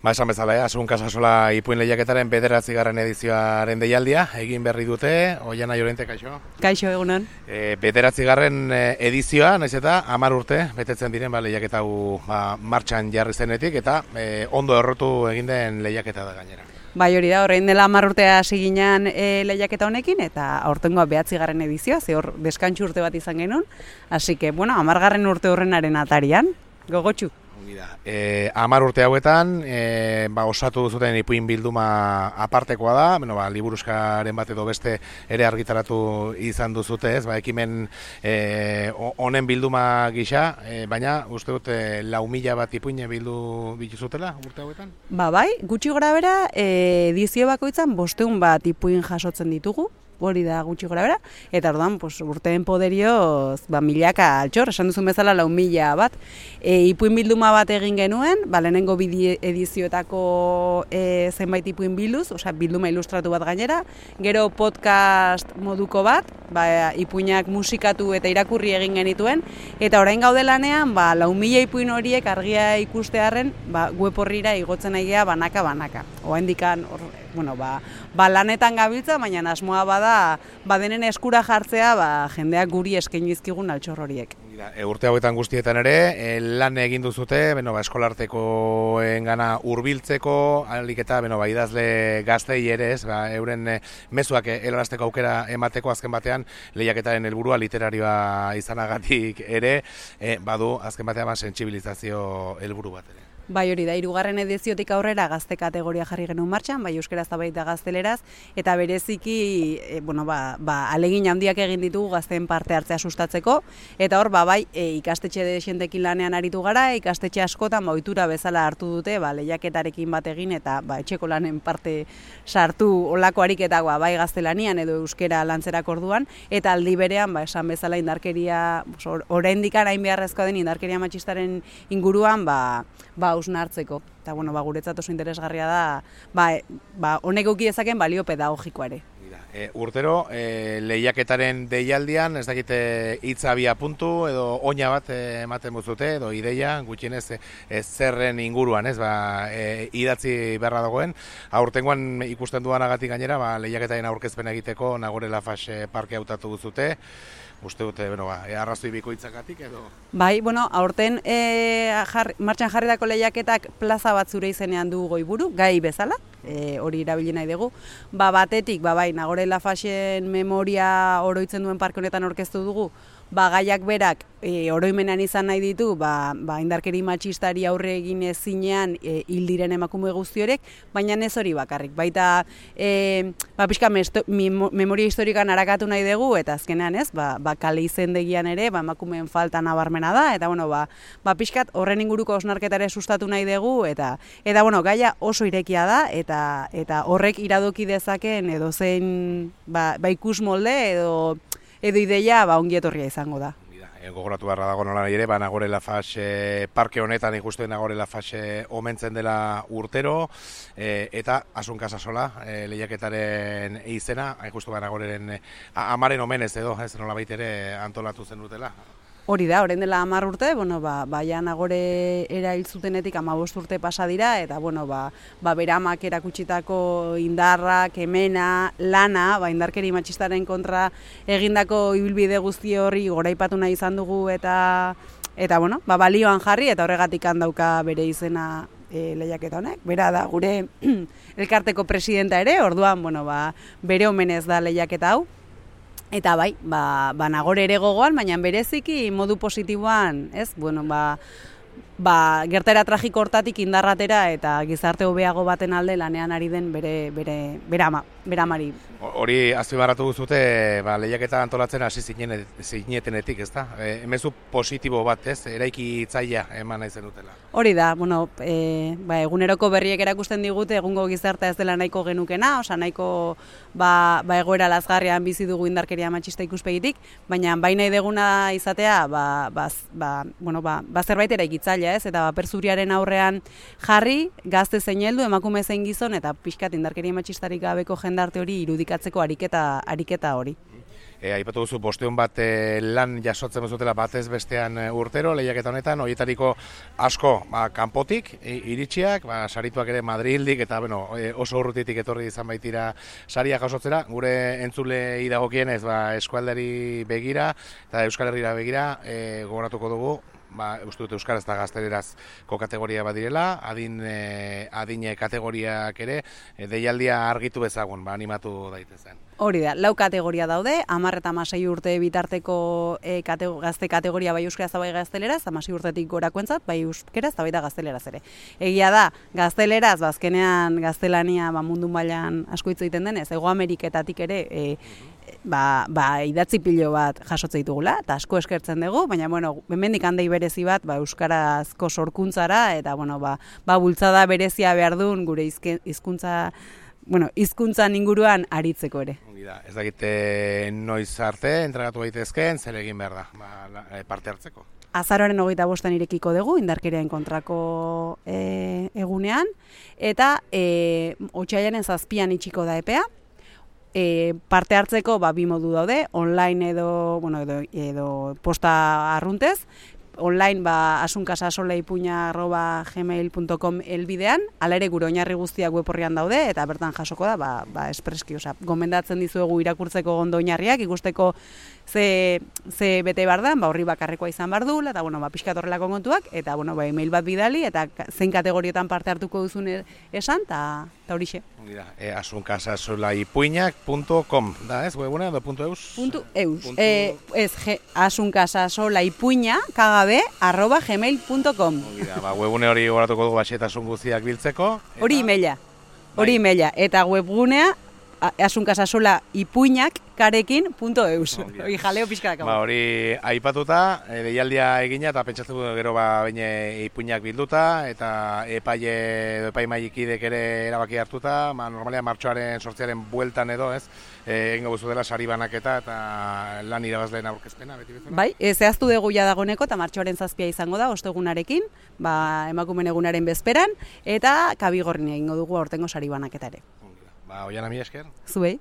Esan bezala, Asun Casasola ipuin lehiaketaren 9. edizioaren deialdia, egin berri dute, Oiana Llorente, kaixo? Kaixo, egunon. 9. edizioa, naiz eta 10 urte, betetzen diren lehiaketa hau martxan jarri zenetik, eta ondo errotu egin den lehiaketa da gainera. Bai, hori da, horrein dela 10 urtea hasi ginen lehiaketa honekin, eta aurtengoa 9. edizioa, ze hor deskantxu urte bat izan genuen, hasi que, 10. urte horrenaren atarian, gogotxu. 10 urte hauetan, osatu duzuten ipuin bilduma apartekoa da, liburuskaren bat edo beste ere argitaratu izan duzute, ez, ekimen honen bilduma gisa, baina uste dut 4.000 bat ipuin bildu bituzutela urte hauetan? Bai, gutxi gora bera, edizio bakoitzan 500 bat ipuin jasotzen ditugu, hori da gutxi gora bera, eta orduan urteen poderioz milaka altxor, esan duzun bezala 4.000 bat. Ipuin bilduma bat egin genuen, lehenengo edizioetako zenbait ipuin bilduz, bilduma ilustratu bat gainera, gero podcast moduko bat, ipuinak musikatu eta irakurri egin genituen, eta orain gaude lanean, 4.000 ipuin horiek argia ikustearren, web horrira igotzen egia banaka-banaka. Oaindikan, lanetan gabiltza, baina asmoa bada, denen eskura jartzea, jendeak guri eskaini dizkigun altxor horiek. Urte hauetan guztietan ere, lan egin duzute, eskolartekoengana hurbiltzeko, alik eta idazle gaztei ere, euren mezuak helarazteko aukera emateko azken batean, lehiaketaren helburua literarioa izanagatik ere, badu azken batean sentsibilizazio helburu bat ere. Bai, hori da, 3. ediziotik aurrera gazte kategoria jarri genuen martxan, bai euskeraz eta baita gazteleraz, eta bereziki, alegin handiak egin ditugu gazteen parte hartzea sustatzeko, eta hor, ikastetxe desientekin lanean aritu gara, ikastetxe askotan, ohitura bezala hartu dute, lehiaketarekin bat egin, eta etxeko lanen parte sartu olako ariketak, bai gaztelanian edo euskera lantzerak orduan, eta aldi berean, esan bezala indarkeria, oraindik hain beharrezkoa den indarkeria matxistaren inguruan, hausnartzeko. Eta, guretzat oso interesgarria da, honek eduki dezaken balio pedagogikoa ere. Urtero, lehiaketaren deialdian, ez dakite hitza abia puntu, edo oina bat ematen buzute, edo ideia, gutxienez zerren inguruan, idatzi beharra dagoen. Aurtengoan ikusten duanagatik gainera, lehiaketaren aurkezpen egiteko Nagore Laffage parke hautatu duzute. Uste dute, arrazoi bikoitzakatik edo? Bai, aurten martxan jarritako lehiaketak plaza bat zure izenean du goiburu, gai bezala, hori erabili nahi dugu. Batetik, Nagore Laffageen memoria oroitzen duen parke honetan aurkeztu dugu, gaiak berak oroimenean izan nahi ditu, indarkeri matxistari aurre egin ezinean hil diren emakume guzti horiek, baina ez hori bakarrik. Baita, pixka memoria historikan arakatu nahi dugu, eta azkenean kale izendegian ere, emakumeen falta nabarmena da, eta pixkat horren inguruko osnarketare sustatu nahi dugu, eta gaia oso irekia da, eta horrek iradoki dezaken edo zein ikus molde edo ideia ongi etorria izango da. Gogoratu beharra dago nola ere, Nagore Laffage parke honetan ikusten Nagore Laffage omentzen dela urtero, eta Asun Casasola lehiaketaren izena, hain justu Nagoreren amaren omenez edo, ez nola ere antolatu zen dutela. Hori da, orain dela 10 urte, Nagore erail zutenetik 15 urte pasa dira, eta beramak erakutsitako indarra, kemena, lana, indarkeri matxistaren kontra egindako ibilbide guzti horri goraipatu nahi izan dugu, eta balioan jarri, eta horregatik handauka bere izena lehiaketa honek. Bera da, gure elkarteko presidenta ere, orduan, bere omenez da lehiaketa hau. Eta Nagore ere gogoan, baina bereziki modu positiboan, gertaera tragiko hortatik indarratera eta gizarte hobeago baten alde lanean ari den bere amari. Hori azpimarratu duzute, lehiaketa antolatzen hasi zinetenetik, ez da? Emezu positibo bat, eraiki itzaia eman nahi zenutela. Hori da, eguneroko berriek erakusten digute egungo gizartea ez dela nahiko genukena, nahiko egoera lazgarrian bizi dugu indarkeria matxista ikuspegitik, baina nahi deguna izatea, zerbait eraikitzailea, eta perzuriaren aurrean jarri, gazte zein heldu, emakume zein gizon, eta pixkat indarkeria matxistarik gabeko jendarte hori irudikatzeko ariketa hori. Aipatu duzu 500 bat lan jasotzen duzutela batez bestean urtero lehiaketa honetan, horietariko asko kanpotik iritsiak, sarituak ere Madrildik eta oso urrutitik etorri izan baitira saria jasotzera, gure entzulei dagokienez eskualdari begira eta Euskal Herrira begira gogoratuko dugu. Uste dut euskaraz eta gaztelerazko kategoria badirela, adine kategoriak ere, deialdia argitu bezagun, animatu daitezen. Hori da, 4 kategoria daude, 10 eta 16 urte bitarteko gazte kategoria bai euskaraz eta bai gazteleraz, 16 urtetik gorakoentzat, bai euskeraz eta baita gazteleraz ere. Egia da, gazteleraz, azkenean gaztelania mundu mailan asko hitz egiten denez, Hego Ameriketatik ere idatzi pilo bat jasotze ditugula, eta asko eskertzen dugu, baina, hemendik handei berezi bat, euskarazko sorkuntzara, eta, bultzada berezia behar duen gure hizkuntzan inguruan aritzeko ere. Ez dakite noiz arte, entregatu daitezkeen, zer egin behar da, parte hartzeko? Azaroaren 25 irekiko dugu, indarkeriaren kontrako egunean, eta otsailaren 7 itxiko da epea. Parte hartzeko 2 modu daude, online edo posta arruntez, online asunkasasoleipuña@gmail.com elbidean, hala ere gure oinarri guztiak web orrian daude eta bertan jasoko da espreski, gomendatzen dizuegu irakurtzeko ondo oinarriak, ikusteko ze bete behar da, horri bakarrekoa izan behar du, eta pixkat horrelako kontuak, eta email bat bidali, eta zein kategorietan parte hartuko duzun esan, eta horixe. asunkasasolaipuiñak.com da, ez, webuna edo .eus? Ez, asunkasasolaipuña@gmail.com. Webune hori goratuko dugu baxetasun guztiak biltzeko. Hori emaila, eta webgunea asunkasasolaipuiñak.eus. Hori jaleo pixkarak. Hori aipatuta, deialdia egina eta pentsatzen du gero ipuinak bilduta eta epaimaikidek ere erabaki hartuta, normalean martxoaren 8 bueltan edo, ez? Egingo guzu dela sari banaketa eta lan irabazleen aurkezpena, beti bezala? Bai, zehaztu dugu ja dagoeneko eta martxoaren 7 izango da, ostegunarekin, emakumeen egunaren bezperan, eta kabigorrin egingo dugu aurtengo sari banaketa ere. Oiana, mila esker. Zuei.